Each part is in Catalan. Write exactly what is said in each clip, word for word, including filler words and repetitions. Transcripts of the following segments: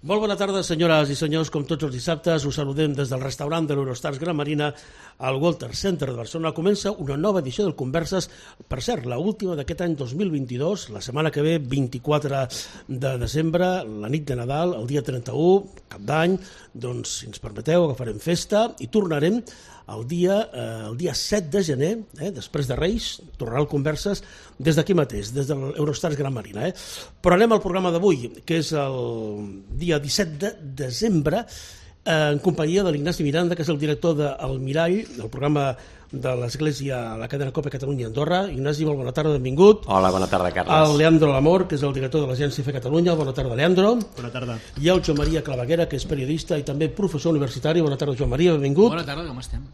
Molt bona tarda, senyores i senyors. Com tots els dissabtes, us saludem des del restaurant de l'Eurostars Gran Marina al Walter Center de Barcelona. Comença una nova edició del Converses, per cert, l'última d'aquest any dos mil vint-i-dos, la setmana que ve, vint-i-quatre de desembre, la nit de Nadal, el dia trenta-u, cap d'any, doncs, si ens permeteu, agafarem festa i tornarem el dia, eh, el dia set de gener, eh, després de Reis, tornarà al Converses des d'aquí mateix, des de l'Eurostars Gran Marina. Eh. Però anem al programa d'avui, que és el dia disset de desembre, eh, en companyia de l'Ignasi Miranda, que és el director del Mirall, del programa de l'Església a la cadena COPE Catalunya Andorra. Ignasi, molt bona tarda, benvingut. Hola, bona tarda, Carles. El Leandro Lamor, que és el director de l'Agència Fe Catalunya. Bona tarda, Leandro. Bona tarda. I el Joan Maria Claveguera, que és periodista i també professor universitari. Bona tarda, Joan Maria, benvingut. Bona tarda, com estem?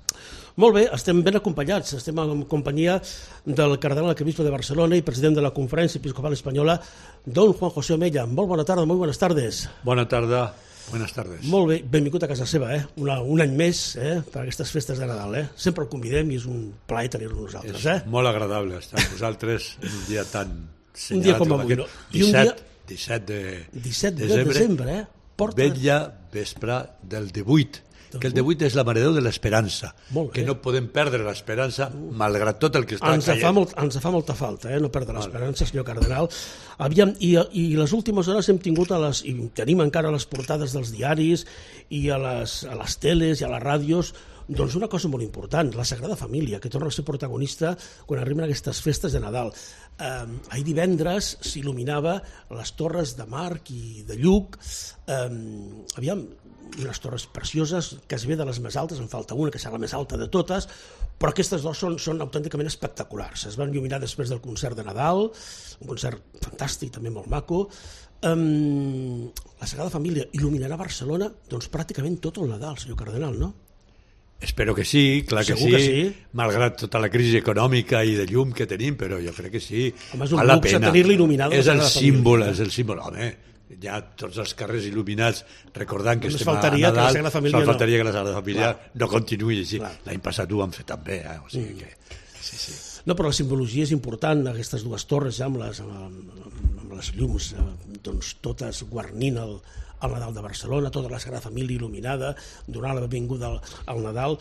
Molt bé, estem ben acompanyats. Estem en companyia del cardenal arquebisbe de Barcelona i president de la Conferència Episcopal Espanyola, don Juan José Omella. Molt bona tarda, molt buenas tardes. Bona tarda. Buenas tardes. Molt bé, benvingut a casa seva, eh? Una, un any més eh? per aquestes festes de Nadal. Eh? Sempre el convidem i és un plaer tenir-lo nosaltres. Eh? És molt agradable estar amb vosaltres en un dia tan senyalat. Un dia com avui, no? I un dia... disset de disset de desembre, eh? Porta... Vetlla vespre del divuit, que el divuit és la maredeu de l'esperança, que no podem perdre l'esperança malgrat tot el que està ens caient. Fa molt, ens fa molta falta, eh? No perdre l'esperança, senyor cardenal. Aviam, i, i les últimes hores hem tingut, a les, i tenim encara les portades dels diaris i a les, a les teles i a les ràdios, doncs una cosa molt important, la Sagrada Família, que torna a ser protagonista quan arriben aquestes festes de Nadal. Eh, ahir divendres s'il·luminava les torres de Marc i de Lluc. Eh, aviam, unes torres precioses, quasi bé de les més altes, en falta una que serà la més alta de totes, però aquestes dues són, són autènticament espectaculars. Es van il·luminar després del concert de Nadal, un concert fantàstic, també molt maco. Um, la Sagrada Família il·luminarà Barcelona doncs pràcticament tot el Nadal, senyor cardenal, no? Espero que sí, clar que sí, que sí, malgrat tota la crisi econòmica i de llum que tenim, però jo crec que sí. Home, és un luxe tenir-la il·luminada. És el símbol, és el símbol, home. Hi ha tots els carrers il·luminats recordant que només estem a faltaria Nadal, que la Família no. faltaria no. que la Sagrada Família Clar. no continuï així. Clar. L'any passat ho vam fer també, eh? O sigui que... Sí, sí. No, però la simbologia és important, aquestes dues torres ja amb les, amb, amb les llums, doncs totes guarnint el, el Nadal de Barcelona, tota la Sagrada Família il·luminada, donant la benvinguda al, al Nadal.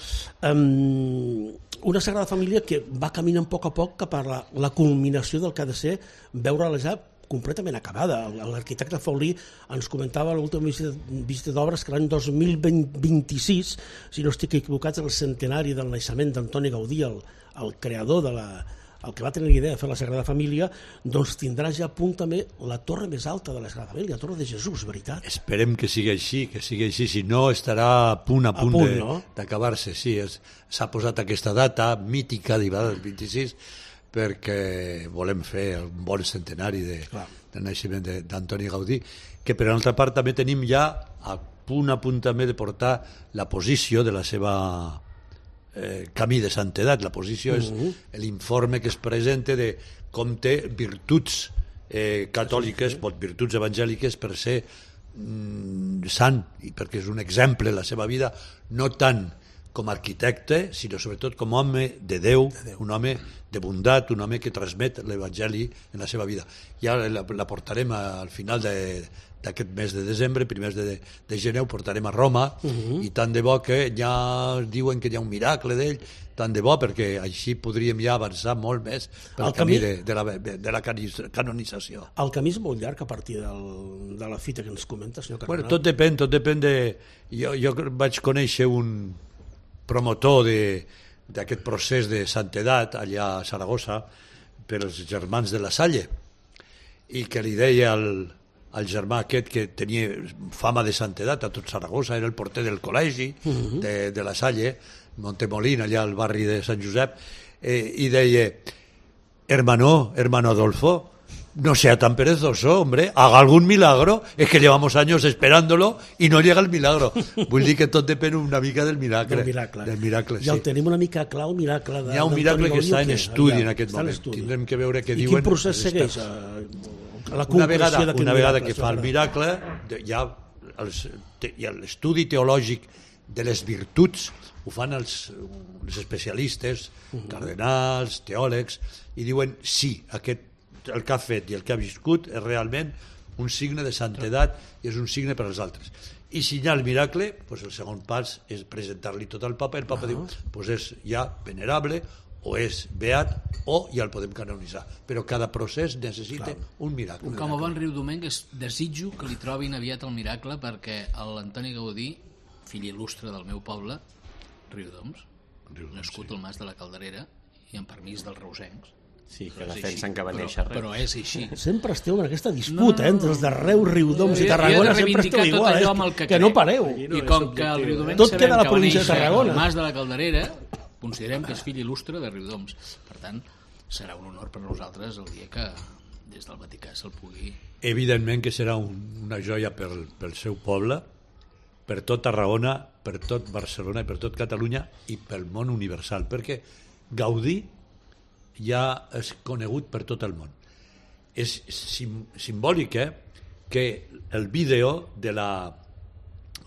Um, una Sagrada Família que va caminant a poc a poc cap a la, la culminació del que ha de ser veure-la ja completament acabada. L'arquitecte Faulí ens comentava a l'última visita, visita d'obres que l'any dos mil vint-i-sis, si no estic equivocat, és el centenari del naixement d'Antoni Gaudí, el, el creador de la... el que va tenir l'idea de fer la Sagrada Família, doncs tindrà ja a punt també la torre més alta de la Sagrada Família, la torre de Jesús, veritat? Esperem que sigui així, que sigui així, si no estarà a punt a punt, a punt d'acabar-se, no? Sí, s'ha posat aquesta data mítica d'Ibada del vint-i-sis, perquè volem fer un bon centenari de, del naixement d'Antoni Gaudí, que per altra part també tenim ja a punt a punt també de portar la posició de la seva eh, camí de santedat. La posició uh-huh. és l'informe que es presenta de com té virtuts eh, catòliques, sí, sí. virtuts evangèliques per ser mm, sant, i perquè és un exemple la seva vida, no tant com a arquitecte, sinó sobretot com a home de Déu, de Déu, un home de bondat, un home que transmet l'Evangeli en la seva vida. Ja la, la portarem al final d'aquest mes de desembre, primers de, de gener, ho portarem a Roma, uh-huh. i tant de bo que ja diuen que hi ha un miracle d'ell, tant de bo, perquè així podríem ja avançar molt més pel el camí, camí de, de, la, de la canonització. El camí és molt llarg a partir del, de la fita que ens comenta, senyor cardenal. Bueno, tot depèn, tot depèn de... Jo, jo vaig conèixer un promotor d'aquest procés de santedat allà a Saragossa per als germans de la Salle, i que li deia al, al germà aquest que tenia fama de santedat a tot Saragossa, era el porter del col·legi uh-huh. de, de la Salle, Montemolín, allà al barri de Sant Josep, eh, i deia: hermano, hermano Adolfo, no sea tan perezoso, hombre, haga algún milagro, es que llevamos años esperándolo y no llega el milagro. Vull dir que tot depèn una mica del miracle. Del miracle. Del miracle, sí. Ja el tenim una mica clar, el miracle de, hi ha un miracle que està en estudi en aquest moment. Tindrem que veure què I diuen. I quin procés segueix? A, a la una vegada, una vegada miracle, que fa el miracle, hi ha, els, hi ha l'estudi teològic de les virtuts, ho fan els, els especialistes, uh-huh. cardenals, teòlegs, i diuen sí, aquest el que ha fet i el que ha viscut és realment un signe de santedat i és un signe per als altres. I si hi ha el miracle, pues el segon pas és presentar-li tot al papa, i el papa uh -huh. diu, pues és ja venerable, o és beat, o ja el podem canonitzar. Però cada procés necessita Clar. un miracle. Com a bon Riudomenc desitjo que li trobin aviat el miracle, perquè l'Antoni Gaudí, fill il·lustre del meu poble, Riudoms, Riudoms nascut sí. al Mas de la Calderera i amb permís dels reusencs. Sí, que defensen que va néixer res. Però és així. Sempre esteu en aquesta disputa, no, no, no. eh, entre els de Reus, Riudoms i Tarragona, sempre esteu igual, eh, que, que no pareu. I com que el Riudomenc Tot sabem queda a la que va província de néixer Tarragona. al Mas de la Calderera, considerem que és fill il·lustre de Riudoms. Per tant, serà un honor per nosaltres el dia que des del Vaticà se'l pugui... Evidentment que serà un, una joia pel, pel seu poble, per tot Tarragona, per tot Barcelona i per tot Catalunya i pel món universal, perquè Gaudí ja és conegut per tot el món. És sim, simbòlic eh, que el vídeo de la,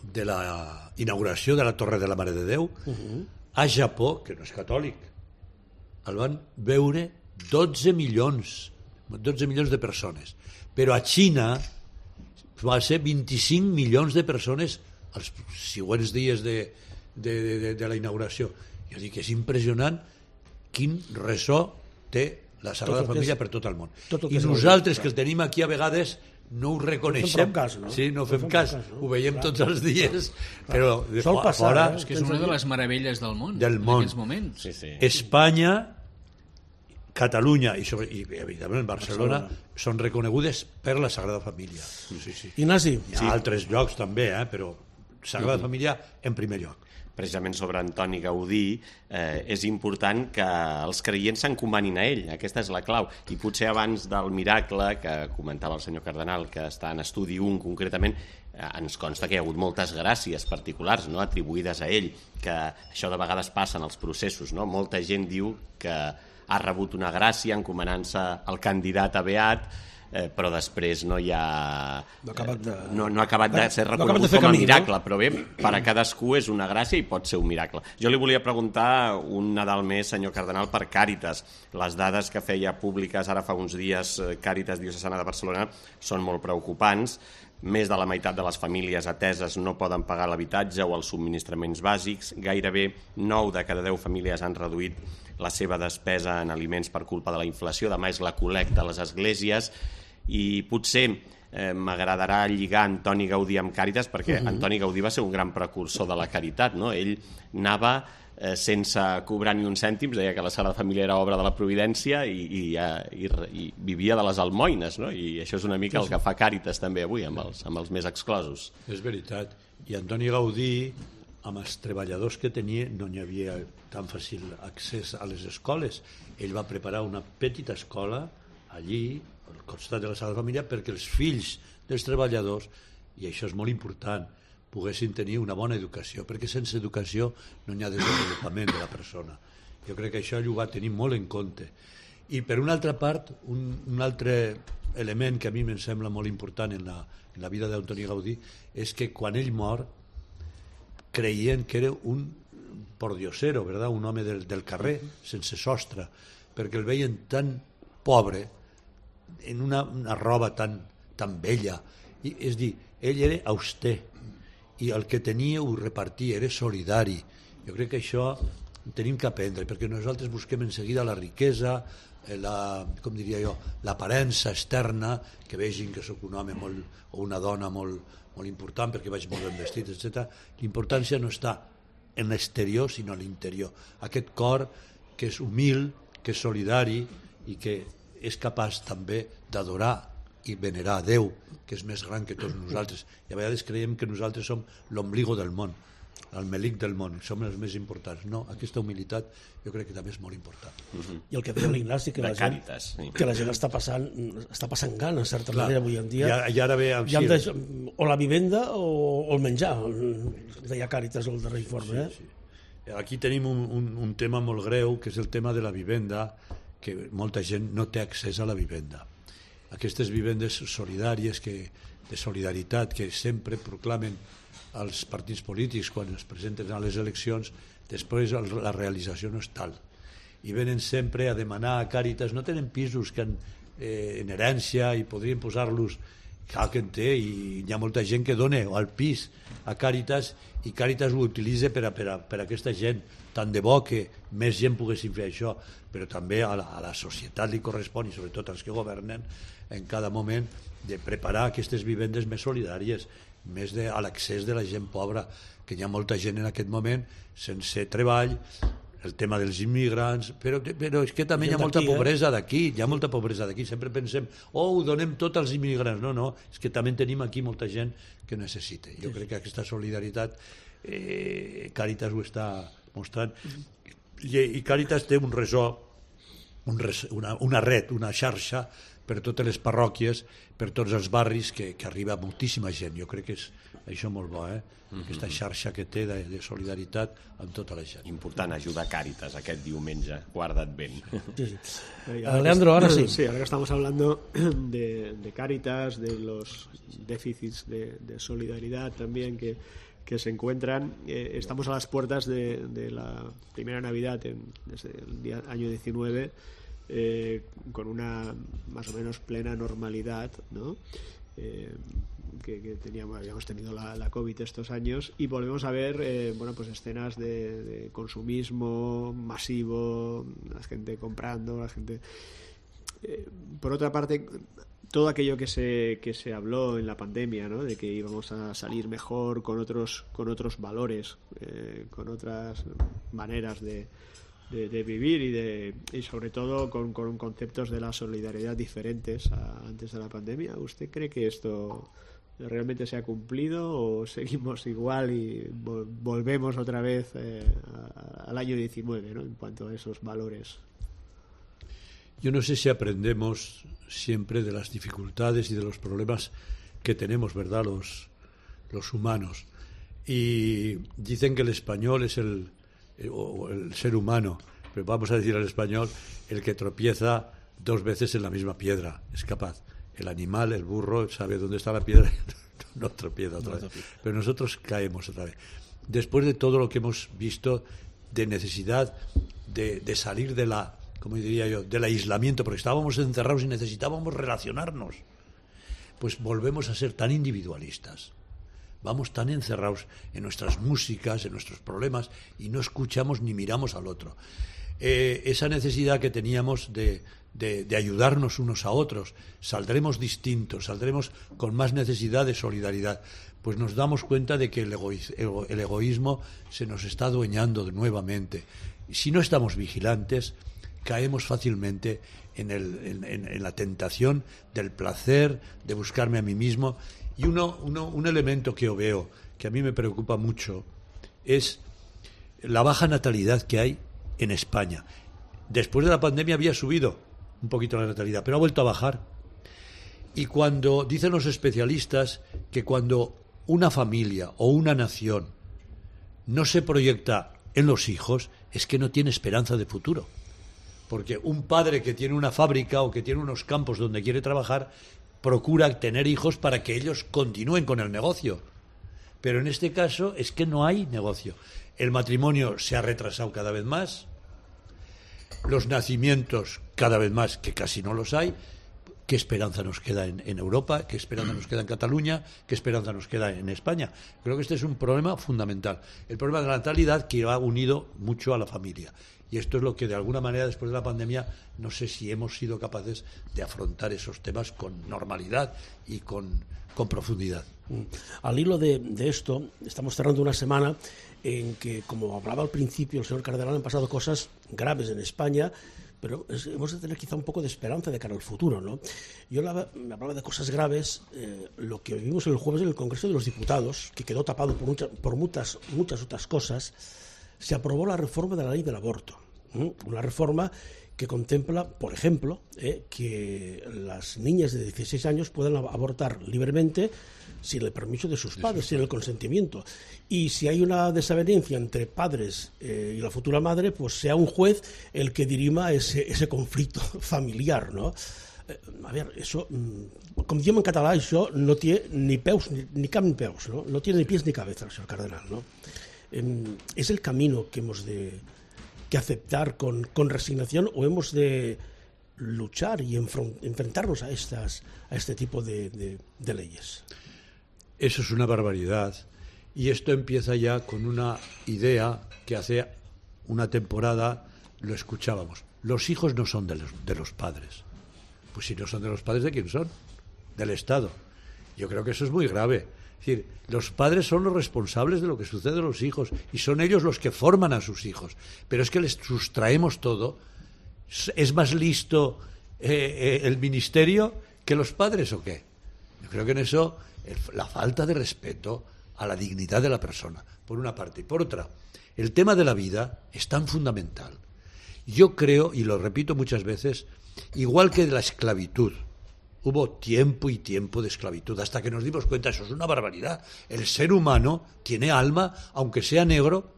de la inauguració de la Torre de la Mare de Déu uh -huh. a Japó, que no és catòlic, el van veure dotze milions dotze milions de persones, però a Xina va ser vint-i-cinc milions de persones els següents dies de, de, de, de la inauguració. Jo dic que és impressionant quin ressò té la Sagrada Família per tot el món. I nosaltres que el tenim aquí a vegades no ho reconeixem, no cas, no? Sí, no fem cas, cas no? Ho veiem clar. Tots els dies, clar. Però de Sol passar, fora... Eh? És que és una de les meravelles del món, del en món. aquests moments. Sí, sí. Espanya, Catalunya i, sobre, i evidentment Barcelona, Barcelona són reconegudes per la Sagrada Família. Sí, sí. Ignasi? Hi ha sí. altres llocs també, eh? Però Sagrada uh-huh. Família en primer lloc. Precisament sobre Antoni Gaudí, eh, és important que els creients s'encomanin a ell, aquesta és la clau, i potser abans del miracle que comentava el senyor Cardenal, que està en estudi un concretament, eh, ens consta que hi ha hagut moltes gràcies particulars, no?, atribuïdes a ell, que això de vegades passa en els processos, no? Molta gent diu que ha rebut una gràcia encomanant-se al candidat a beat, Eh, però després no hi ha no ha acabat de, eh, no, no ha acabat de ser reconegut no de com a camí, miracle, no? Però bé, per a cadascú és una gràcia i pot ser un miracle. Jo li volia preguntar un Nadal més, senyor Cardenal, per Càritas. Les dades que feia públiques ara fa uns dies Càritas Diocesana de Barcelona són molt preocupants. Més de la meitat de les famílies ateses no poden pagar l'habitatge o els subministraments bàsics. Gairebé nou de cada deu famílies han reduït la seva despesa en aliments per culpa de la inflació. Demà és la col·lecta a les esglésies i potser eh, m'agradarà lligar Antoni Gaudí amb Càritas, perquè uh-huh. Antoni Gaudí va ser un gran precursor de la caritat, no? Ell anava eh, sense cobrar ni un cèntim, deia que la Sagrada Família era obra de la Providència i, i, i, i vivia de les almoines, no? I això és una mica el que fa Càritas també avui amb els, amb els més exclosos. És veritat. I Antoni Gaudí, amb els treballadors que tenia, no hi havia tan fàcil accés a les escoles. Ell va preparar una petita escola allí, al costat de la Sagrada Família, perquè els fills dels treballadors, i això és molt important, poguessin tenir una bona educació, perquè sense educació no hi ha desenvolupament de la persona. Jo crec que això ell ho va tenir molt en compte. I per una altra part, un, un altre element que a mi em sembla molt important en la, en la vida d'Antoni Gaudí és que quan ell mor creien que era un pordiosero, ¿verdad? Un home del, del carrer, sense sostre, perquè el veien tan pobre, en una, una roba tan, tan vella. I, és dir, ell era auster, i el que tenia ho repartia, era solidari. Jo crec que això tenim que aprendre, perquè nosaltres busquem en seguida la riquesa, la, com diria jo, l'aparença externa, que vegin que sóc un home molt, o una dona molt, molt important perquè vaig molt ben vestit, etcètera. L'importància no està en l'exterior, sinó a l'interior. Aquest cor que és humil, que és solidari i que és capaç també d'adorar i venerar a Déu, que és més gran que tots nosaltres. I a vegades creiem que nosaltres som l'ombligo del món, el melic del món, som els més importants. No, aquesta humilitat jo crec que també és molt important. Uh-huh. I el que deia l'Ignasi, que, la gent, Càritas, sí. que la gent està passant, està passant gana, en certa Clar. manera, avui en dia. I, i ara ve amb ja de, o la vivenda o, o el menjar, deia Càritas el darrer informe. Sí, sí. Aquí tenim un, un, un tema molt greu, que és el tema de la vivenda, que molta gent no té accés a la vivenda. Aquestes vivendes solidàries, que, de solidaritat, que sempre proclamen els partits polítics quan es presenten a les eleccions, després la realització no és tal. I venen sempre a demanar a Càritas, no tenen pisos que han, eh, en herència i podrien posar-los clar que en té, i hi ha molta gent que dona al pis a Càritas, i Càritas ho utilitza per a, per a, per a aquesta gent. Tant de bo que més gent poguessin fer això, però també a la, a la societat li correspon, i sobretot als que governen, en cada moment, de preparar aquestes vivendes més solidàries, més de, a l'accés de la gent pobra, que hi ha molta gent en aquest moment sense treball, el tema dels immigrants, però, però és que també hi ha molta pobresa d'aquí, hi ha molta pobresa d'aquí, sempre pensem, oh, ho donem tot als immigrants, no, no, és que també tenim aquí molta gent que necessita. Jo crec que aquesta solidaritat eh, Càritas ho està mostrant, i, i Càritas té un resó, un res, una, una red, una xarxa per totes les parròquies, per tots els barris, que, que arriba moltíssima gent. Jo crec que és això molt bo, eh? Aquesta xarxa que té de, de solidaritat amb tota la gent. Important ajudar Càritas aquest diumenge, guarda't ben. Sí, sí. Uh, Leandro, ahora sí. Sí, ahora que estamos hablando de, de Càritas, de los déficits de, de solidaridad también que, que se encuentran, eh, estamos a las puertas de, de la primera Navidad en, desde el día, año diecinueve, eh, con una más o menos plena normalidad, ¿no? Eh, que, que teníamos, habíamos tenido la, la COVID estos años, y volvemos a ver eh, bueno, pues escenas de, de consumismo masivo, la gente comprando, la gente eh, por otra parte, todo aquello que se que se habló en la pandemia, ¿no? De que íbamos a salir mejor con otros con otros valores, eh, con otras maneras de De, de vivir y de y sobre todo con, con conceptos de la solidaridad diferentes a, antes de la pandemia. ¿Usted cree que esto realmente se ha cumplido o seguimos igual y vol, volvemos otra vez eh, a, al año diecinueve, ¿no? En cuanto a esos valores? Yo no sé si aprendemos siempre de las dificultades y de los problemas que tenemos, ¿verdad?, los, los humanos. Y dicen que el español es el o el ser humano, pero vamos a decir al español, el que tropieza dos veces en la misma piedra, es capaz. El animal, el burro, sabe dónde está la piedra, no tropieza otra vez. Pero nosotros caemos otra vez. Después de todo lo que hemos visto de necesidad de, de salir de la, como diría yo, del aislamiento, porque estábamos encerrados y necesitábamos relacionarnos, pues volvemos a ser tan individualistas. Vamos tan encerrados en nuestras músicas, en nuestros problemas, y no escuchamos ni miramos al otro. Eh, esa necesidad que teníamos de, de, de ayudarnos unos a otros, saldremos distintos, saldremos con más necesidad de solidaridad. Pues nos damos cuenta de que el, egoísmo, el egoísmo se nos está adueñando nuevamente. Y si no estamos vigilantes, caemos fácilmente en, el, en, en, en la tentación del placer, de buscarme a mí mismo. Y uno, uno, un elemento que yo veo, que a mí me preocupa mucho, es la baja natalidad que hay en España. Después de la pandemia había subido un poquito la natalidad, pero ha vuelto a bajar. Y cuando dicen los especialistas que cuando una familia o una nación no se proyecta en los hijos, es que no tiene esperanza de futuro. Porque un padre que tiene una fábrica o que tiene unos campos donde quiere trabajar, procura tener hijos para que ellos continúen con el negocio. Pero en este caso es que no hay negocio. El matrimonio se ha retrasado cada vez más, los nacimientos cada vez más, que casi no los hay. ¿Qué esperanza nos queda en, en Europa? ¿Qué esperanza nos queda en Cataluña? ¿Qué esperanza nos queda en España? Creo que este es un problema fundamental. El problema de la natalidad, que va unido mucho a la familia. Y esto es lo que de alguna manera después de la pandemia no sé si hemos sido capaces de afrontar esos temas con normalidad y con, con profundidad. Al hilo de, de esto, estamos cerrando una semana en que, como hablaba al principio el señor Cardenal, han pasado cosas graves en España, pero es, hemos de tener quizá un poco de esperanza de cara al futuro, ¿no? Yo hablaba, me hablaba de cosas graves, eh, lo que vivimos el jueves en el Congreso de los Diputados, que quedó tapado por, mucha, por muchas, muchas otras cosas. Se aprobó la reforma de la ley del aborto, ¿eh? Una reforma que contempla, por ejemplo, eh, que las niñas de dieciséis años puedan abortar libremente sin el permiso de sus padres, sin el consentimiento. Y si hay una desavenencia entre padres eh, y la futura madre, pues sea un juez el que dirima ese, ese conflicto familiar, ¿no? Eh, a ver, eso, com diem en català, això no té ni peus ni, ni cap ni peus, ¿no? No tiene ni pies ni cabeza, señor Cardenal, ¿no? Eh, ¿Es el camino que hemos de que aceptar con, con resignación o hemos de luchar y enfrentarnos a, estas, a este tipo de, de, de leyes. Eso es una barbaridad. Y esto empieza ya con una idea que hace una temporada lo escuchábamos. Los hijos no son de los, de los padres. Pues si no son de los padres, ¿de quién son? Del Estado. Yo creo que eso es muy grave. Es decir, los padres son los responsables de lo que sucede a los hijos y son ellos los que forman a sus hijos. Pero es que les sustraemos todo. ¿Es más listo eh, eh, el ministerio que los padres o qué? Yo creo que en eso el, la falta de respeto a la dignidad de la persona, por una parte. Y por otra, el tema de la vida es tan fundamental. Yo creo, y lo repito muchas veces, igual que de la esclavitud, hubo tiempo y tiempo de esclavitud, hasta que nos dimos cuenta, eso es una barbaridad. El ser humano tiene alma, aunque sea negro,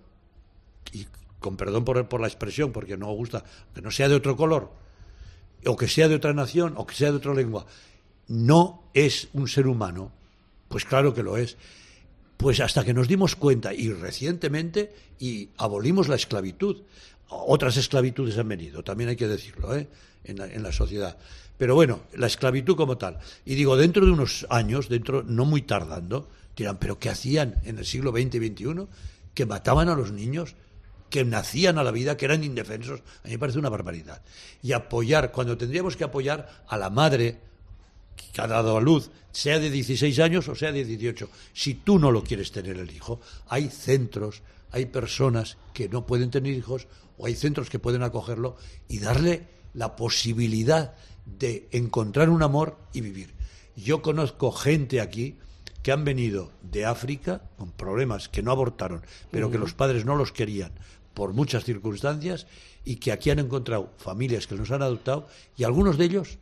y con perdón por, por la expresión, porque no me gusta, que no sea de otro color, o que sea de otra nación, o que sea de otra lengua, no es un ser humano. Pues claro que lo es. Pues hasta que nos dimos cuenta, y recientemente, y abolimos la esclavitud. Otras esclavitudes han venido, también hay que decirlo, ¿eh? en, la, en la sociedad. Pero bueno, la esclavitud como tal. Y digo, dentro de unos años, dentro no muy tardando, dirán, ¿pero qué hacían en el siglo veinte y veintiuno? Que mataban a los niños, que nacían a la vida, que eran indefensos. A mí me parece una barbaridad. Y apoyar, cuando tendríamos que apoyar a la madre que ha dado a luz, sea de dieciséis años o sea de dieciocho. Si tú no lo quieres tener el hijo, hay centros, hay personas que no pueden tener hijos, o hay centros que pueden acogerlo y darle la posibilidad de encontrar un amor y vivir. Yo conozco gente aquí que han venido de África con problemas, que no abortaron, pero que los padres no los querían por muchas circunstancias, y que aquí han encontrado familias que los han adoptado, y algunos de ellos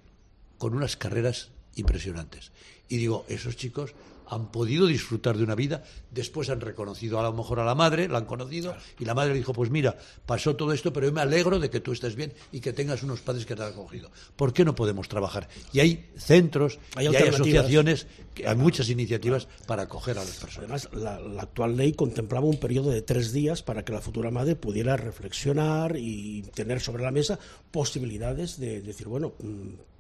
con unas carreras impresionantes. Y digo, esos chicos han podido disfrutar de una vida, después han reconocido a lo mejor a la madre, la han conocido, y la madre dijo, pues mira, pasó todo esto, pero yo me alegro de que tú estés bien y que tengas unos padres que te han acogido. ¿Por qué no podemos trabajar? Y hay centros, hay y hay asociaciones, que hay muchas iniciativas para acoger a las personas. Además, la, la actual ley contemplaba un periodo de tres días para que la futura madre pudiera reflexionar y tener sobre la mesa posibilidades de decir, bueno,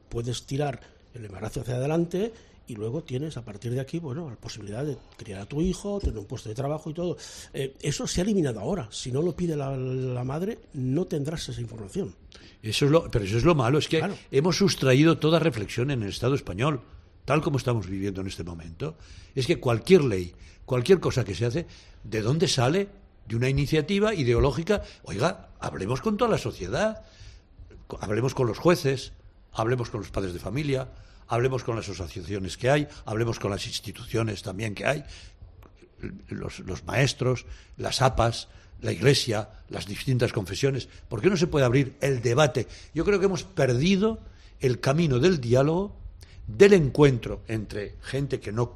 puedes tirar el embarazo hacia adelante, y luego tienes a partir de aquí, bueno, la posibilidad de criar a tu hijo, tener un puesto de trabajo y todo. Eh, eso se ha eliminado ahora. Si no lo pide la, la madre, no tendrás esa información. Eso es lo, pero eso es lo malo, es que claro, hemos sustraído toda reflexión en el Estado español, tal como estamos viviendo en este momento. Es que cualquier ley, cualquier cosa que se hace, ¿de dónde sale? De una iniciativa ideológica. Oiga, hablemos con toda la sociedad, hablemos con los jueces, hablemos con los padres de familia, hablemos con las asociaciones que hay, hablemos con las instituciones también que hay, los, los maestros, las A P As, la Iglesia, las distintas confesiones. ¿Por qué no se puede abrir el debate? Yo creo que hemos perdido el camino del diálogo, del encuentro entre gente que no,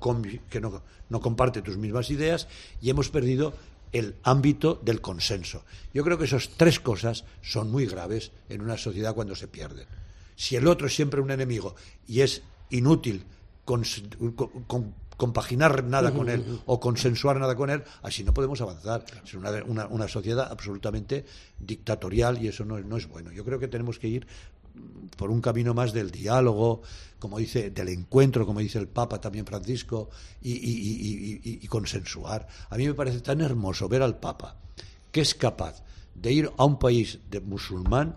que no, no comparte tus mismas ideas, y hemos perdido el ámbito del consenso. Yo creo que esas tres cosas son muy graves en una sociedad cuando se pierden. Si el otro es siempre un enemigo y es inútil con, con, compaginar nada con él o consensuar nada con él, así no podemos avanzar. Es una, una, una sociedad absolutamente dictatorial, y eso no, no es bueno. Yo creo que tenemos que ir por un camino más del diálogo, como dice, del encuentro, como dice el Papa también Francisco, y, y, y, y, y consensuar. A mí me parece tan hermoso ver al Papa, que es capaz de ir a un país de musulmán,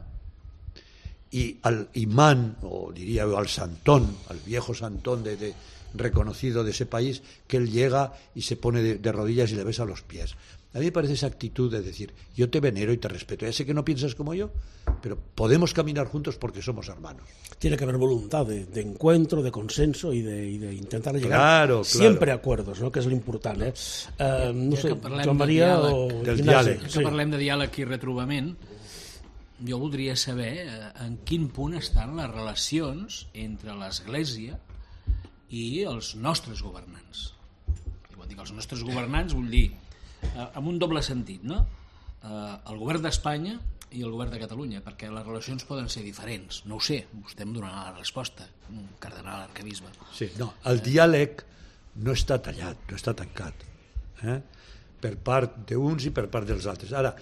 y al imán, o diría al santón, al viejo santón de, de, reconocido de ese país, que él llega y se pone de, de rodillas y le besa los pies. A mí me parece esa actitud de decir, yo te venero y te respeto, ya sé que no piensas como yo, pero podemos caminar juntos porque somos hermanos. Tiene que haber voluntad de, de encuentro, de consenso y de, y de intentar llegar claro, siempre claro. a acuerdos, no? Que és l'important. Eh? Uh, no ja sé, Joan Maria de o... Del diàleg. Ja que parlem de diàleg i retrobament, jo voldria saber en quin punt estan les relacions entre l'Església i els nostres governants. I quan dic els nostres governants vull dir amb un doble sentit, no? El govern d'Espanya i el govern de Catalunya, perquè les relacions poden ser diferents. No ho sé, vostè em donarà la resposta, un cardenal arquebisbe. Sí, no, el diàleg no està tallat, no està tancat, eh? per part d'uns i per part dels altres. Ara,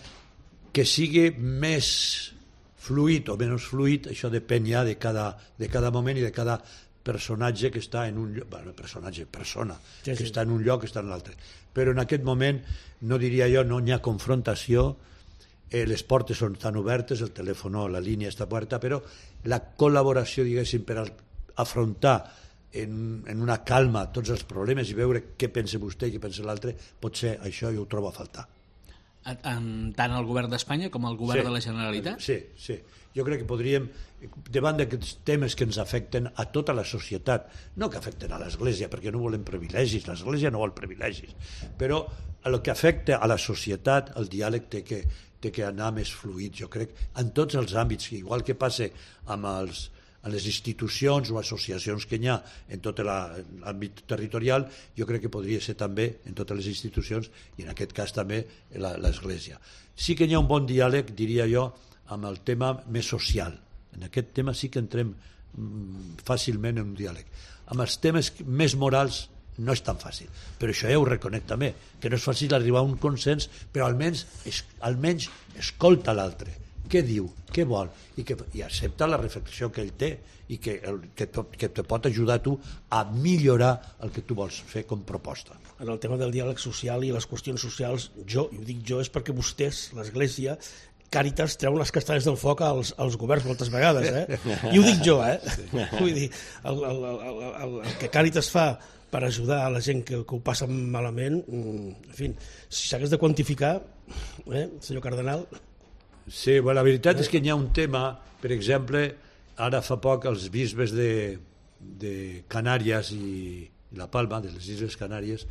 que sigui més fluid o menys fluid, això depèn ja de cada, de cada moment i de cada personatge que està en un lloc, bueno, personatge, persona, sí, que sí. està en un lloc, que està en l'altre. Però en aquest moment, no diria jo, no hi ha confrontació, eh, les portes són tan obertes, el telèfon, la línia està oberta, però la col·laboració, diguéssim, per afrontar en, en una calma tots els problemes i veure què pensa vostè i què pensa l'altre, potser això jo ho trobo a faltar. En, tant el govern d'Espanya com el govern sí, de la Generalitat? Sí, sí. Jo crec que podríem, davant d'aquests temes que ens afecten a tota la societat, no que afecten a l'Església, perquè no volem privilegis, l'Església no vol privilegis, però el que afecta a la societat, el diàleg té que, té que anar més fluid, jo crec, en tots els àmbits, igual que passa amb els a les institucions o associacions que hi ha en tot l'àmbit territorial, jo crec que podria ser també en totes les institucions i en aquest cas també l'Església. Sí que hi ha un bon diàleg, diria jo, amb el tema més social. En aquest tema sí que entrem fàcilment en un diàleg. Amb els temes més morals no és tan fàcil, però això ja ho reconec també, que no és fàcil arribar a un consens, però almenys, almenys escolta l'altre. Què diu, què vol, i, que, i accepta la reflexió que ell té i que, el, que, to, que te pot ajudar a tu a millorar el que tu vols fer com proposta. En el tema del diàleg social i les qüestions socials, jo, i ho dic jo, és perquè vostès, l'Església, Càritas, treuen les castanyes del foc als, als governs moltes vegades, eh? I ho dic jo, eh? Sí. Vull dir, el, el, el, el, el que Càritas fa per ajudar a la gent que, que ho passa malament, en fi, si s'hagués de quantificar, eh, senyor Cardenal... Sí, bueno, la veritat és que hi ha un tema, per exemple, ara fa poc els bisbes de, de Canàries i La Palma, de les Illes Canàries,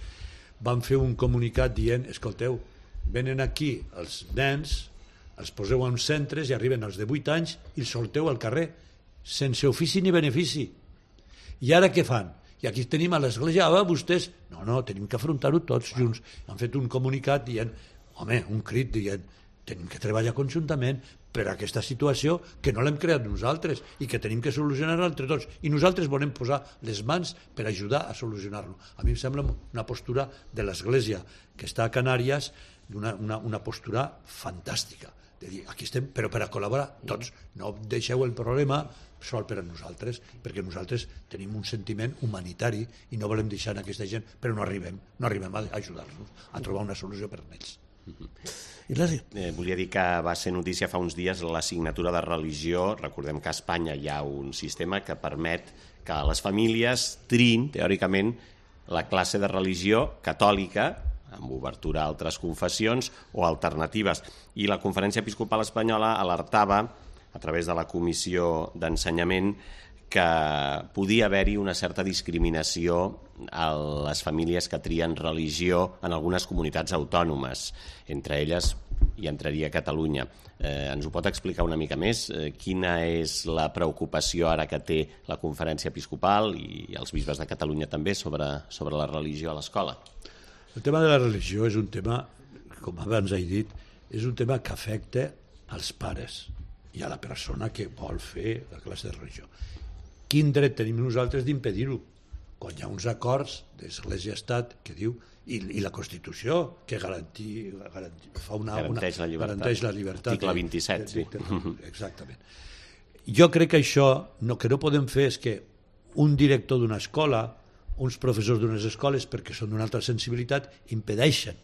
van fer un comunicat dient, escolteu, venen aquí els nens, els poseu en centres i arriben als de vuit anys i els solteu al carrer, sense ofici ni benefici. I ara què fan? I aquí tenim a l'Església, ah, vostès... No, no, tenim que afrontar-ho tots junts. Han fet un comunicat dient, home, un crit dient, tenim que treballar conjuntament per a aquesta situació que no l'hem creat nosaltres i que tenim que solucionar-la entre tots. I nosaltres volem posar les mans per ajudar a solucionar-lo. A mi em sembla una postura de l'Església que està a Canàries, una, una, una postura fantàstica. De dir, aquí estem, però per a col·laborar tots. No deixeu el problema sol per a nosaltres, perquè nosaltres tenim un sentiment humanitari i no volem deixar aquesta gent, però no arribem, no arribem a ajudar-los, a trobar una solució per a ells. Eh, volia dir que va ser notícia fa uns dies l'assignatura de religió. Recordem que a Espanya hi ha un sistema que permet que les famílies triïn, teòricament, la classe de religió catòlica, amb obertura a altres confessions o alternatives. I la Conferència Episcopal Espanyola alertava, a través de la Comissió d'Ensenyament, que podia haver-hi una certa discriminació a les famílies que trien religió en algunes comunitats autònomes. Entre elles hi entraria Catalunya. Eh, ens ho pot explicar una mica més? Eh, quina és la preocupació ara que té la Conferència Episcopal i els bisbes de Catalunya també sobre, sobre la religió a l'escola? El tema de la religió és un tema, com abans he dit, és un tema que afecta als pares i a la persona que vol fer la classe de religió. Quin dret tenim nosaltres d'impedir-ho? Quan hi ha uns acords d'Església-Estat que diu, i, i la Constitució, que garanti, garanti, fa una, garanteix, una, la llibertat. garanteix la llibertat. Article vint-i-set, sí. Exactament. Jo crec que això, no, que no podem fer és que un director d'una escola, uns professors d'unes escoles, perquè són d'una altra sensibilitat, impedeixen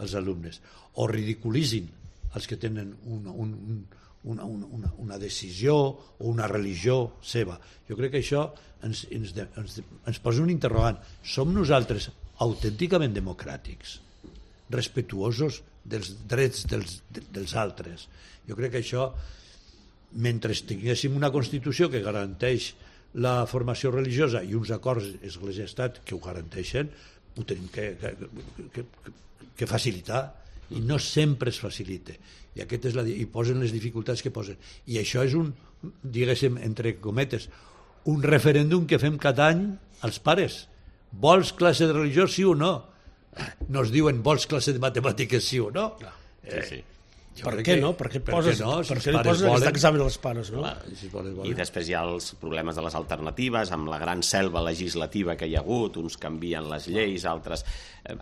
als alumnes o ridiculitzin els que tenen un, un, un Una, una, una decisió o una religió seva. Jo crec que això ens, ens, ens, ens posa un interrogant. Som nosaltres autènticament democràtics, respectuosos dels drets dels, dels altres? Jo crec que això, mentre tinguéssim una Constitució que garanteix la formació religiosa i uns acords Església-Estat que ho garanteixen, ho tenim que, que, que, que facilitar, i no sempre es facilita. I, aquest és la, i posen les dificultats que posen. I això és un, diguéssim, entre cometes, un referèndum que fem cada any als pares. Vols classe de religió, sí o no? No es diuen vols classe de matemàtiques, sí o no? Sí, sí. Jo per què no? Per què, per poses, no? Si per què li poses volen... aquest examen als pares, no? Clar, si volen, volen. I després hi ha els problemes de les alternatives, amb la gran selva legislativa que hi ha hagut, uns canvien les lleis, altres...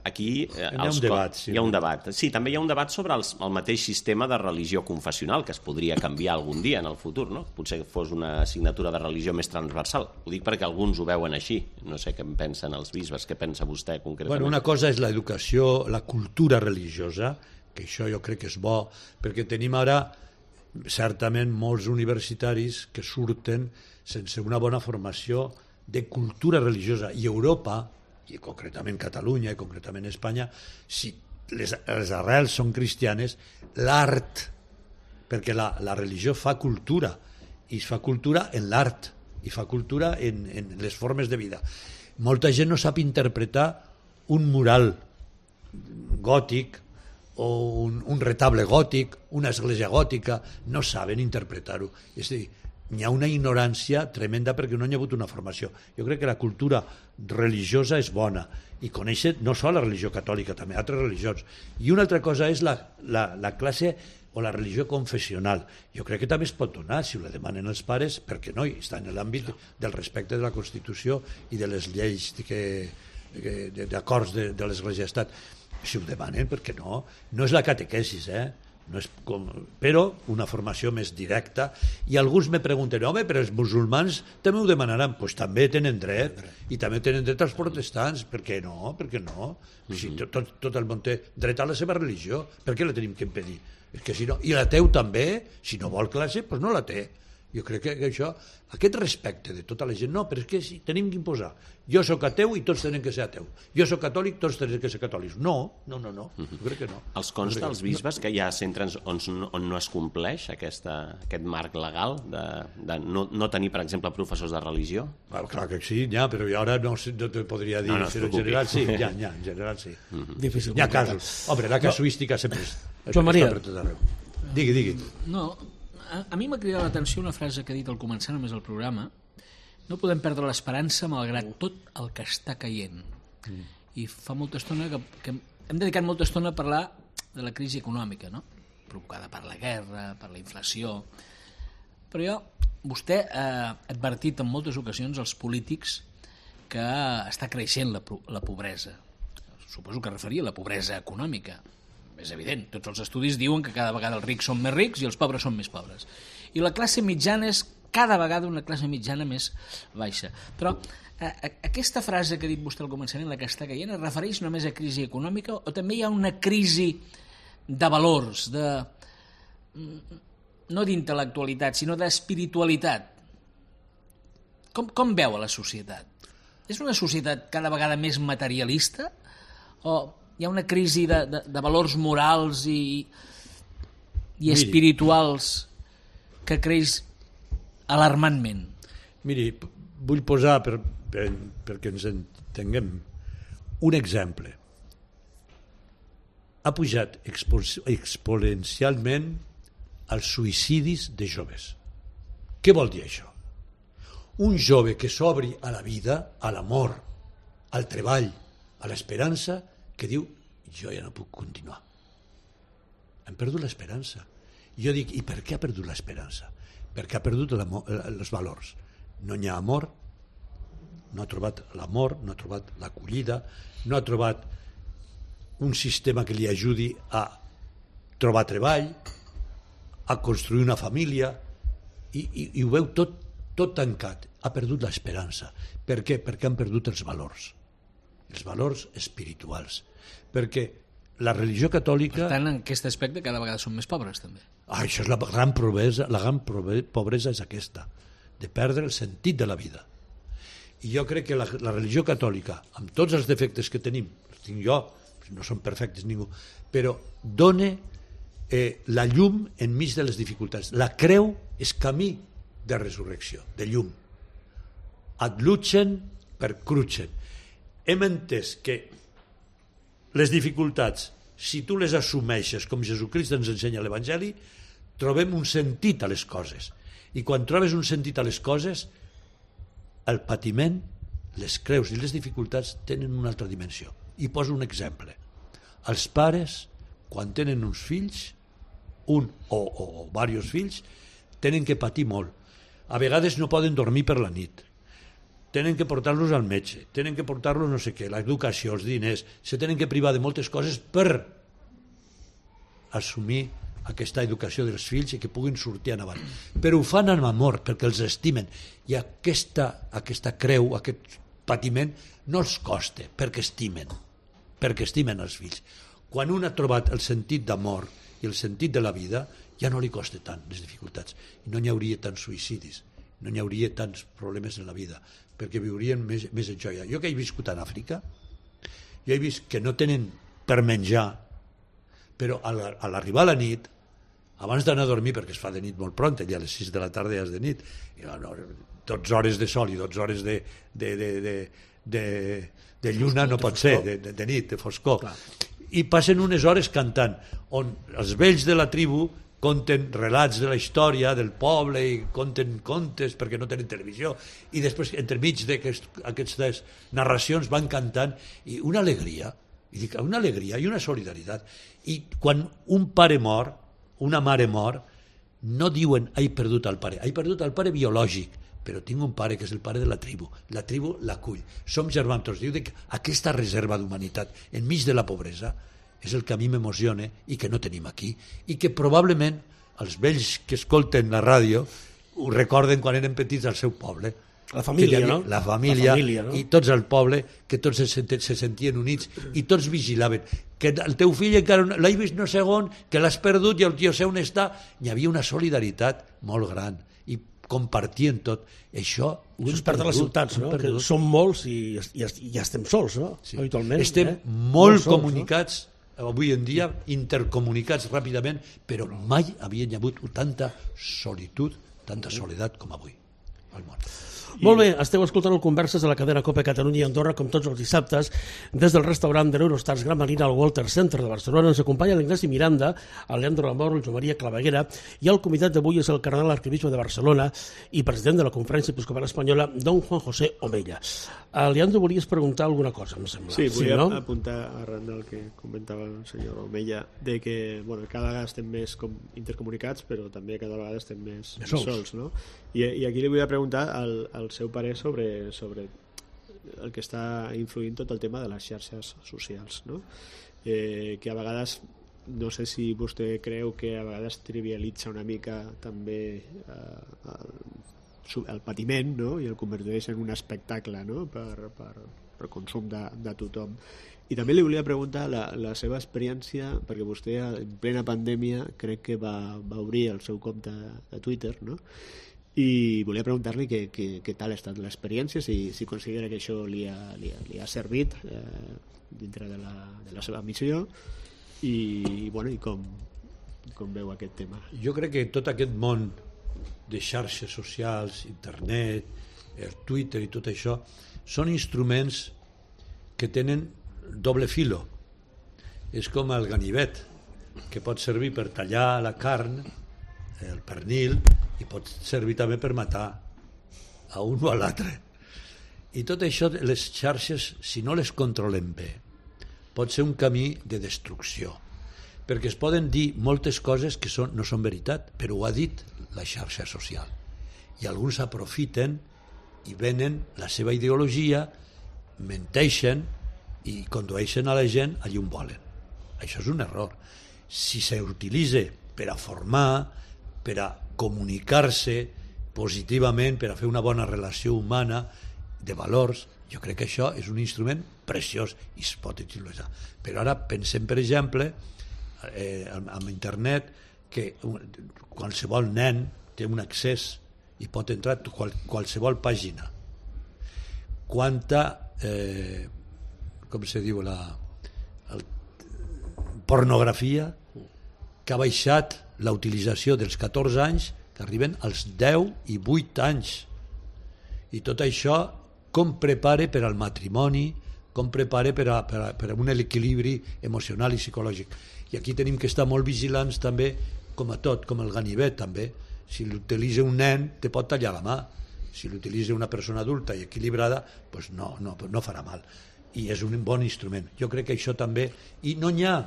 Aquí... Hi ha un debat, sí. Hi ha un debat. Sí, també hi ha un debat sobre els, el mateix sistema de religió confessional, que es podria canviar algun dia en el futur, no? Potser fos una assignatura de religió més transversal. Ho dic perquè alguns ho veuen així. No sé què en pensen els bisbes, què pensa vostè concretament. Bueno, una cosa és l'educació, la cultura religiosa, que això jo crec que és bo, perquè tenim ara certament molts universitaris que surten sense una bona formació de cultura religiosa, i Europa, i concretament Catalunya i concretament Espanya, si les, les arrels són cristianes, l'art, perquè la, la religió fa cultura, i es fa cultura en l'art, i fa cultura en, en les formes de vida. Molta gent no sap interpretar un mural gòtic o un, un retable gòtic, una església gòtica, no saben interpretar-ho. És a dir, hi ha una ignorància tremenda perquè no hi ha hagut una formació. Jo crec que la cultura religiosa és bona, i conèixer no sols la religió catòlica, també altres religions. I una altra cosa és la, la, la classe o la religió confessional. Jo crec que també es pot donar, si ho la demanen els pares, perquè no, està en l'àmbit del respecte de la Constitució i de les lleis d'acords de, de l'Església-Estat. Si ho demanen, perquè no? No és la catequesis, eh? No és com... però una formació més directa. I alguns me pregunten, home, però els musulmans també ho demanaran. Doncs pues també tenen dret, i també tenen dret els protestants. Per què no? Per què no? Si tot, tot el món té dret a la seva religió, per què la tenim que impedir? És que si no... I l'ateu també, si no vol classe, doncs no la té. Jo crec que això, aquest respecte de tota la gent, no, però és que sí, tenim que imposar. Jo sóc ateu i tots tenen que ser ateu. Jo sóc catòlic, tots tenen que ser catòlics. No, no, no, no. Jo crec que no. Els consta als bisbes que hi ha centres on, on no es compleix aquesta, aquest marc legal de, de no, no tenir, per exemple, professors de religió? Well, clar que sí, ja, però jo ara no, no te podria dir, no, no però en general sí, ja, ja, en general sí. Mm-hmm. Difícil. Hi ha casos. Home, la casuística no. sempre és... Joan Maria. Digui, digui. No, a, a mi m'ha cridat l'atenció una frase que ha dit al començar només el programa. No podem perdre l'esperança malgrat tot el que està caient. Mm. I fa molta estona que, que hem dedicat molta estona a parlar de la crisi econòmica, no? Provocada per la guerra, per la inflació. Però jo, vostè ha advertit en moltes ocasions als polítics que està creixent la, la pobresa. Suposo que referia a la pobresa econòmica. És evident, tots els estudis diuen que cada vegada els rics són més rics i els pobres són més pobres. I la classe mitjana és cada vegada una classe mitjana més baixa. Però a, a, aquesta frase que ha dit vostè al començament, la que està caient, es refereix només a crisi econòmica o també hi ha una crisi de valors, de no d'intel·lectualitat, sinó d'espiritualitat? Com, com veu a la societat? És una societat cada vegada més materialista o hi ha una crisi de, de, de valors morals i, i espirituals que creix alarmantment? Miri, vull posar, per, per, perquè ens entenguem, un exemple. Ha pujat expo, exponencialment els suïcidis de joves. Què vol dir això? Un jove que s'obri a la vida, a l'amor, al treball, a l'esperança, que diu, jo ja no puc continuar. Hem perdut l'esperança. Jo dic, i per què ha perdut l'esperança? Perquè ha perdut els valors. No hi ha amor, no ha trobat l'amor, no ha trobat l'acollida, no ha trobat un sistema que li ajudi a trobar treball, a construir una família, i, i, i ho veu tot, tot tancat. Ha perdut l'esperança. Per què? Perquè han perdut els valors. Els valors espirituals. Perquè la religió catòlica... Per tant, en aquest aspecte cada vegada són més pobres, també. Ah, això és la gran pobresa, la gran pobresa és aquesta, de perdre el sentit de la vida. I jo crec que la, la religió catòlica, amb tots els defectes que tenim, els tinc jo, no són perfectes ningú, però dona eh, la llum enmig de les dificultats. La creu és camí de resurrecció, de llum. Ad lucem per crucem. Hem entès que les dificultats, si tu les assumeixes com Jesucrist ens ensenya a l'Evangeli, trobem un sentit a les coses. I quan trobes un sentit a les coses, el patiment, les creus i les dificultats tenen una altra dimensió. I poso un exemple. Els pares, quan tenen uns fills, un o, o, o diversos fills, tenen que patir molt. A vegades no poden dormir per la nit. Tenen que portar-los al metge, tenen que portar-los no sé què, l'educació, els diners, se tenen que privar de moltes coses per assumir aquesta educació dels fills i que puguin sortir endavant. Però ho fan amb amor, perquè els estimen. I aquesta, aquesta creu, aquest patiment, no els costa, perquè estimen, perquè estimen els fills. Quan un ha trobat el sentit d'amor i el sentit de la vida, ja no li costa tant les dificultats. I no hi hauria tants suïcidis, no hi hauria tants problemes en la vida, perquè viurien més, més en joia. Jo que he viscut en Àfrica, jo he vist que no tenen per menjar, però a l'arribar a la nit, abans d'anar a dormir, perquè es fa de nit molt pront, ja a les sis de la tarda ja és de nit, i no, dotze hores de sol i dotze hores de, de, de, de, de, de lluna no pot ser, de, de, de nit, de foscor. Clar. I passen unes hores cantant, on els vells de la tribu conten relats de la història del poble i conten contes perquè no tenen televisió, i després entremig d'aquestes narracions van cantant, i una alegria, i dic, una alegria i una solidaritat. I quan un pare mor, una mare mor, no diuen he perdut el pare, he perdut el pare biològic, però tinc un pare que és el pare de la tribu, la tribu l'acull, som germans tots. Diu que aquesta reserva d'humanitat enmig de la pobresa és el que a mi m'emociona i que no tenim aquí, i que probablement els vells que escolten la ràdio ho recorden quan eren petits al seu poble. La família, havia, no? La família, la família, no? I tots al poble, que tots se, se sentien units i tots vigilaven. Que el teu fill encara l'has vist no sé on, que l'has perdut i el tio sé on està. Hi havia una solidaritat molt gran i compartien tot. Això ho Això es perd a les ciutats, no? Que som molts i, i, i ja estem sols, no? Sí. Habitualment. Estem eh? molt, molt sols, comunicats, no? Avui en dia, intercomunicats ràpidament, però mai havien hagut tanta solitud, tanta soledat com avui al món. Molt bé, esteu escoltant el Converses de la cadena COPE Catalunya i Andorra, com tots els dissabtes, des del restaurant de l'Eurostars Gran Marina al Walter Center de Barcelona. Ens acompanya l'Ignasi Miranda, el Leandro Lamor, el Joan Maria Claveguera, i el convidat d'avui és el cardenal arquebisbe de Barcelona i president de la Conferència Episcopal Espanyola, don Juan José Omella. A Leandro, volies preguntar alguna cosa, em sembla. Sí, volia sí, no? apuntar arran del que comentava el senyor Omella, de que bueno, cada vegada estem més com intercomunicats, però també cada vegada estem més, més sols. sols no? I, I aquí li volia preguntar al, al seu parer sobre, sobre el que està influint tot el tema de les xarxes socials, no? Eh, que a vegades, no sé si vostè creu que a vegades trivialitza una mica també eh, el, el patiment, no? I el converteix en un espectacle, no? per, per, per consum de, de tothom. I també li volia preguntar la, la seva experiència, perquè vostè en plena pandèmia crec que va, va obrir el seu compte de Twitter, no? I volia preguntar-li què, què, què tal ha estat l'experiència, si, si considera que això li ha, li ha, li ha servit eh, dintre de la, de la seva missió i, bueno, i com, com veu aquest tema. Jo crec que tot aquest món de xarxes socials, internet, el Twitter i tot això són instruments que tenen doble filo. És com el ganivet, que pot servir per tallar la carn, el pernil, i pot servir també per matar a un o a l'altre. I tot això, les xarxes, si no les controlem bé, pot ser un camí de destrucció, perquè es poden dir moltes coses que són, no són veritat, però ho ha dit la xarxa social. I alguns aprofiten i venen la seva ideologia, menteixen i condueixen a la gent allà on volen. Això és un error. Si s'utilitza per a formar, per a comunicar-se positivament, per a fer una bona relació humana de valors, jo crec que això és un instrument preciós i es pot utilitzar. Però ara pensem, per exemple, eh, amb internet, que qualsevol nen té un accés i pot entrar a qual, qualsevol pàgina. Quanta, eh, com se diu, la el, pornografia que ha baixat la utilització dels catorze anys, que arriben als deu i vuit anys. I tot això com prepara per al matrimoni, com prepara per a, per a, per a un equilibri emocional i psicològic. I aquí tenim que estar molt vigilants també, com a tot, com el ganivet també. Si l'utilitza un nen, te pot tallar la mà. Si l'utilitza una persona adulta i equilibrada, pues no, no, no farà mal. I és un bon instrument. Jo crec que això també... I no n'hi ha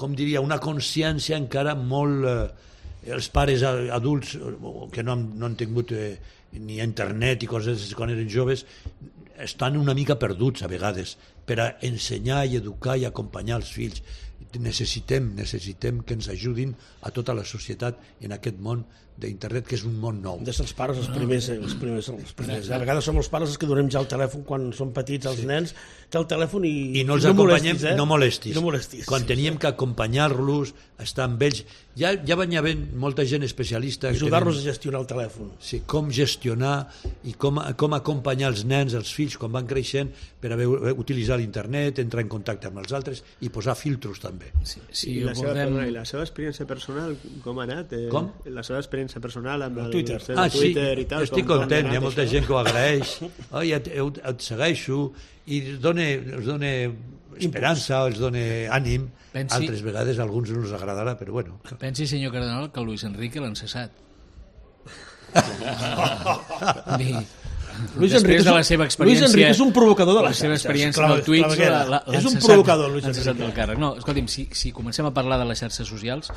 com diria, una consciència encara molt... Eh, els pares adults que no han, no han tingut eh, ni internet i coses quan eren joves estan una mica perduts a vegades per a ensenyar i educar i acompanyar els fills. Necessitem, necessitem que ens ajudin a tota la societat en aquest món d'internet, que és un món nou. Des dels pares els primers, els primers, els primers. A vegades som els pares els que donem ja el telèfon quan són petits, els sí. nens, té el telèfon i, I no els no acompanyem, molestis, eh? no molestis. No molestis. Quan sí, teníem sí. que acompanyar-los, estar amb ells, ja, ja van haver molta gent especialista. Ajudar-los tenen, a gestionar el telèfon. Sí, com gestionar i com, com acompanyar els nens, els fills, quan van creixent, per a veure, utilitzar l'internet, entrar en contacte amb els altres i posar filtros també. Sí, sí, I, la seva, perdona, I la seva experiència personal, com ha anat? Eh, com? La seva experiència personal amb el Twitter. El ah, Twitter sí, i tal. estic com, content, com hi ha molta això? gent que ho agraeix. Oh, ja et, et segueixo i els dona, els dona esperança, els dona ànim. Pensi, altres vegades a alguns no els agradarà, però bueno. Pensi, senyor Cardenal, que Luis Enrique l'han cessat. Bé, Luis després Enrique de la seva experiència... Luis Enrique és un provocador de la les seva xarxes. experiència amb el Twitch... La, la, és un cessat, provocador, Luis Enrique. Enrique. Del càrrec. No, escolti'm, si, si comencem a parlar de les xarxes socials,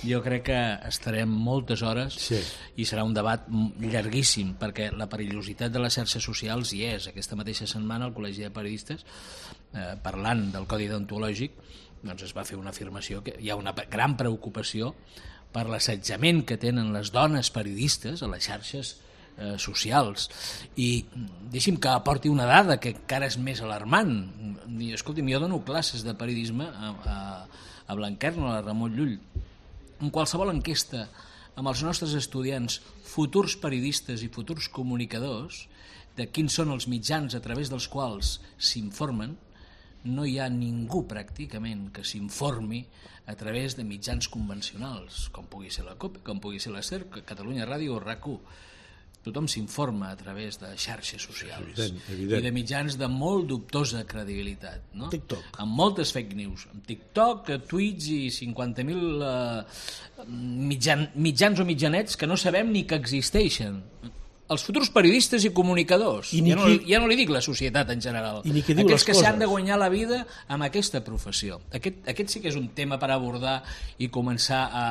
jo crec que estarem moltes hores sí. i serà un debat llarguíssim, perquè la perillositat de les xarxes socials hi és. Aquesta mateixa setmana al Col·legi de Periodistes, eh, parlant del codi deontològic, doncs es va fer una afirmació que hi ha una gran preocupació per l'assetjament que tenen les dones periodistes a les xarxes eh, socials. I deixi'm que aporti una dada que encara és més alarmant. I, escolti'm, jo dono classes de periodisme a, a, a Blanquerna, a la Ramon Llull. En qualsevol enquesta amb els nostres estudiants, futurs periodistes i futurs comunicadors, de quins són els mitjans a través dels quals s'informen, no hi ha ningú pràcticament que s'informi a través de mitjans convencionals, com pugui ser la COPE, com pugui ser la SER, Catalunya Ràdio o RAC u. Tothom s'informa a través de xarxes socials evident, evident. i de mitjans de molt dubtosa credibilitat, no? TikTok. Amb moltes fake news, amb TikTok, Twitch i cinquanta mil eh, mitjan, mitjans o mitjanets que no sabem ni que existeixen. Els futurs periodistes i comunicadors, I ja, no, qui... ja no li dic la societat en general, I aquells que s'han de guanyar la vida amb aquesta professió. Aquest, aquest sí que és un tema per abordar i començar a,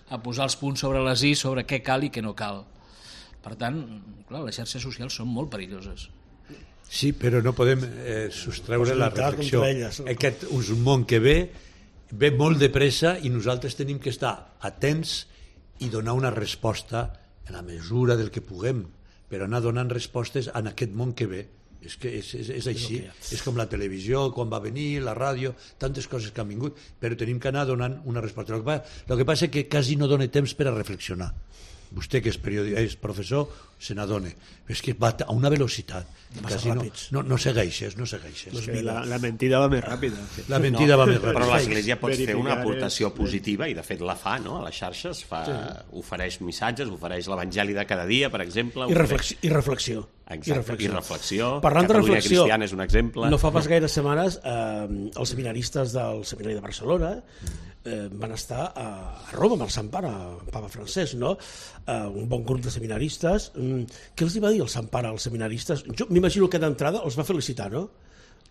a posar els punts sobre les i sobre què cal i què no cal. Per tant, clar, les xarxes socials són molt perilloses. Sí, però no podem eh, sostreure la reflexió. Aquest és un món que ve, ve molt de pressa i nosaltres tenim que estar atents i donar una resposta en la mesura del que puguem, però anar donant respostes en aquest món que ve. És que és, és, és així, és com la televisió, quan va venir, la ràdio, tantes coses que han vingut, però tenim que anar donant una resposta. El que passa, el que passa és que quasi no dona temps per a reflexionar. Vostè, que és, periodi- és professor, se n'adona. És que va a una velocitat. Quasi no, no, no segueixes, no segueixes. És que la, la mentida va més ràpida. La mentida no, va més ràpida. Però l'Església pot fer una Verificar aportació és- positiva, i de fet la fa, no? A les xarxes fa, ofereix missatges, ofereix l'Evangeli de cada dia, per exemple. I reflexió. I reflexió. Exacte, I reflexió. i reflexió. Parlant de Catalunya reflexió, Cristiana és un exemple. no fa pas gaires setmanes eh, els seminaristes del Seminari de Barcelona eh, van estar a, a Roma amb el Sant Pare, el Papa Francesc, no? Eh, un bon grup de seminaristes. Mm, què els hi va dir el Sant Pare als seminaristes? Jo m'imagino que d'entrada els va felicitar, no?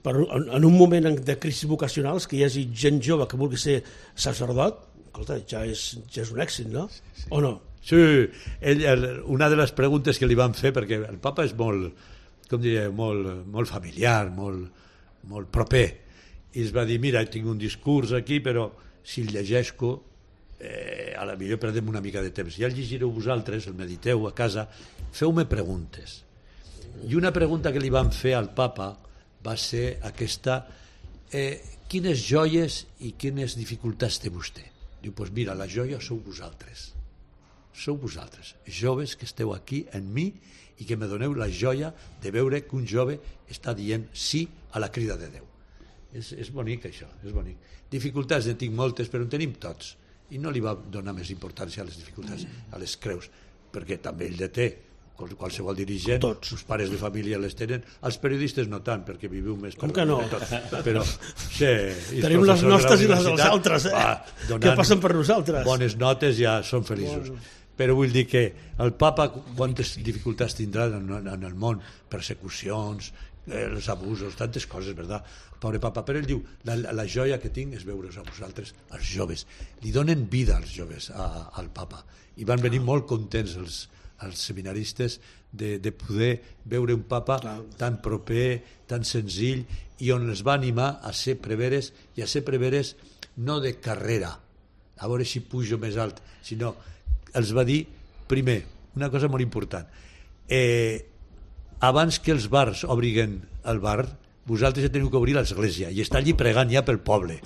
Per, en, en un moment de crisi vocacionals, que hi hagi gent jove que vulgui ser sacerdot, escolta, ja és, ja és un èxit, no? O no? Sí, ell, el, una de les preguntes que li van fer, perquè el papa és molt, com diria, molt, molt familiar, molt, molt proper, i es va dir, mira, tinc un discurs aquí, però si el llegeixo, eh, a la millor perdem una mica de temps. Ja el llegireu vosaltres, el mediteu a casa, feu-me preguntes. I una pregunta que li van fer al papa va ser aquesta, eh, quines joies i quines dificultats té vostè? Diu, doncs pues mira, la joia sou vosaltres. Sou vosaltres, joves que esteu aquí en mi i que me doneu la joia de veure que un jove està dient sí a la crida de Déu. És, és bonic això, és bonic. Dificultats en tinc moltes, però en tenim tots. I no li va donar més importància a les dificultats, a les creus, perquè també ell de té, qualsevol dirigent, tots. els pares de família les tenen, els periodistes no tant, perquè viviu més... Com que no? Tot. Però, sí, tenim les nostres i les dels altres, eh? Va, que passen per nosaltres. Bones notes, ja són feliços. Bueno. Però vull dir que el papa quantes dificultats tindrà en, en el món, persecucions, eh, els abusos, tantes coses, verdad? Pobre papa, però ell diu, la, la joia que tinc és veure-us a vosaltres, els joves. Li donen vida als joves, a, al papa. I van venir molt contents els, els seminaristes de, de poder veure un papa tan proper, tan senzill, i on els va animar a ser preveres, i a ser preveres no de carrera, a veure si pujo més alt, sinó els va dir, primer, una cosa molt important, eh, abans que els bars obriguen el bar, vosaltres ja teniu que obrir l'església i estar allí pregant ja pel poble,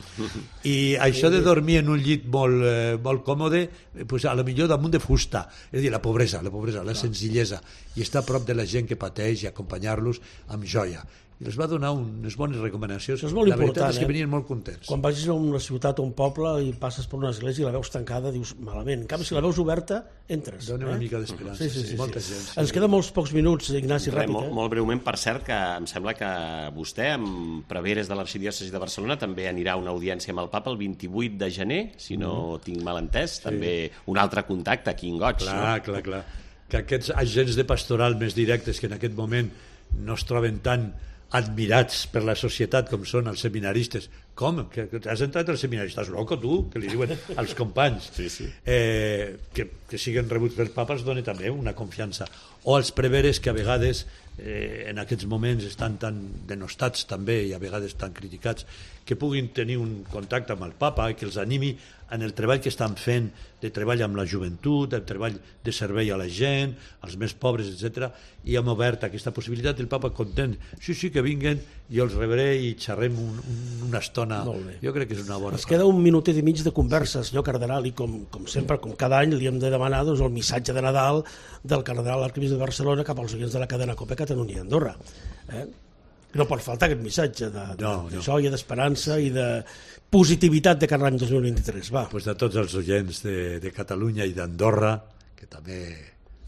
i això de dormir en un llit molt, eh, molt còmode, pues a lo millor damunt de fusta, és a dir, la pobresa, la pobresa, la senzillesa, i estar a prop de la gent que pateix i acompanyar-los amb joia. I els va donar unes bones recomanacions. Això és molt la important, veritat és que eh? venien molt contents. Quan vagis a una ciutat o un poble i passes per una església i la veus tancada, dius malament. En canvi, si la veus oberta, entres. Dona una eh? mica d'esperança. Sí, sí, sí, sí, molta sí. gent. Sí. Ens queden molts pocs minuts, Ignasi, Res, ràpid. molt, Eh? molt breument, per cert, que em sembla que vostè, amb preveres de l'Arxidiòcesi de Barcelona, també anirà a una audiència amb el papa el vint-i-vuit de gener, si no mm. tinc mal entès, sí. També un altre contacte aquí en Goig. Clar, no? clar, clar. Que aquests agents de pastoral més directes que en aquest moment no es troben tan admirats per la societat com són els seminaristes. Com? Que, que has entrat al seminari? Estàs loco, tu? Que li diuen als companys. Sí, sí. Eh, que, que siguin rebuts pels papes dona també una confiança. O els preveres que a vegades eh, en aquests moments estan tan denostats també i a vegades tan criticats, que puguin tenir un contacte amb el papa i que els animi en el treball que estan fent, de treball amb la joventut, el treball de servei a la gent, als més pobres, etcètera. I hem obert aquesta possibilitat, el papa content, sí, sí, que vinguen, jo els rebré i xerrem un, un, una estona. Jo crec que és una bona Ens queda un minutet i mig de conversa, senyor cardenal, i com, com sempre, com cada any, li hem de demanar doncs, el missatge de Nadal del cardenal arquebisbe de Barcelona cap als oients de la cadena COPE Catalunya i Andorra. Eh? No pot faltar aquest missatge de, de, no, no. de joia, d'esperança i de positivitat de cada any dos mil vint-i-tres. Va. Pues de tots els oients de, de Catalunya i d'Andorra, que també,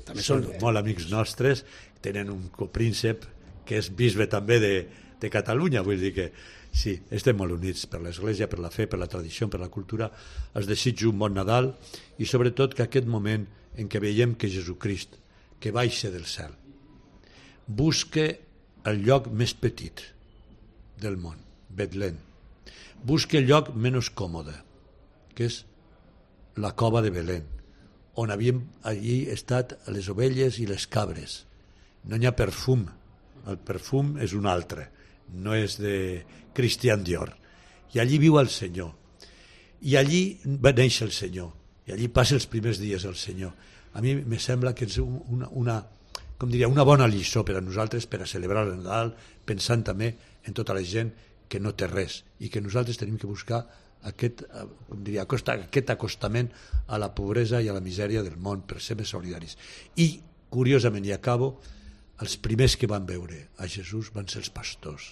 també són bé. Molt amics nostres, tenen un copríncep que és bisbe també de, de Catalunya, vull dir que sí, estem molt units per l'Església, per la fe, per la tradició, per la cultura. Els desitjo un bon Nadal i sobretot que aquest moment en què veiem que Jesucrist, que baixa del cel, busque el lloc més petit del món, Betlem. Busca el lloc menys còmode, que és la cova de Belén, on havien allí estat les ovelles i les cabres. No hi ha perfum, el perfum és un altre, no és de Christian Dior. I allí viu el Senyor. I allí va néixer el Senyor. I allí passa els primers dies el Senyor. A mi me sembla que és una, una com diria, una bona lliçó per a nosaltres per a celebrar el Nadal, pensant també en tota la gent que no té res i que nosaltres tenim que buscar aquest, com diria, aquest acostament a la pobresa i a la misèria del món per ser més solidaris. I, curiosament, i acabo, els primers que van veure a Jesús van ser els pastors.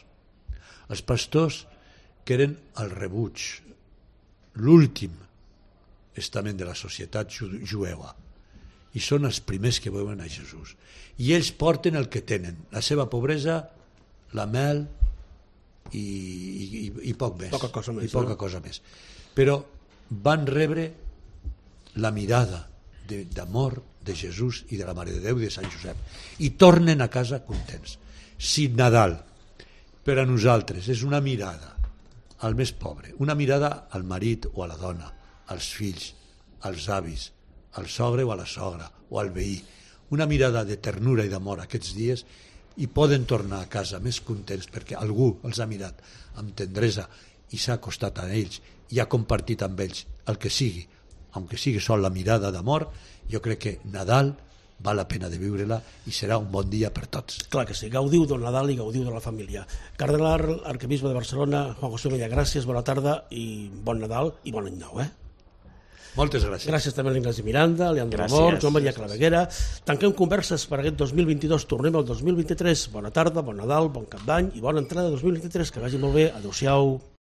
Els pastors que eren el rebuig, l'últim estament de la societat jueva, i són els primers que veuen a Jesús. I ells porten el que tenen, la seva pobresa, la mel i, i, i poc més. Poca cosa més. I poca no? cosa més. Però van rebre la mirada d'amor de, de Jesús i de la Mare de Déu i de Sant Josep i tornen a casa contents. Si Nadal per a nosaltres és una mirada al més pobre, una mirada al marit o a la dona, als fills, als avis, al sogre o a la sogra o al veí, una mirada de ternura i d'amor aquests dies, i poden tornar a casa més contents perquè algú els ha mirat amb tendresa i s'ha acostat a ells i ha compartit amb ells el que sigui, aunque sigui sol la mirada d'amor. Jo crec que Nadal val la pena de viure-la i serà un bon dia per tots. Clar que sí, gaudiu del Nadal i gaudiu de la família. Cardenal arquebisbe de Barcelona, Juan José Omella, gràcies, bona tarda i bon Nadal i bon any nou, eh? Moltes gràcies. Gràcies també a l'Ignasi Miranda, a Leandro Amor, Joan Maria Claveguera. Tanquem converses per aquest dos mil vint-i-dos, tornem al dos mil vint-i-tres. Bona tarda, bon Nadal, bon Cap d'Any i bona entrada de dos mil vint-i-tres. Que vagi molt bé. Adéu-siau.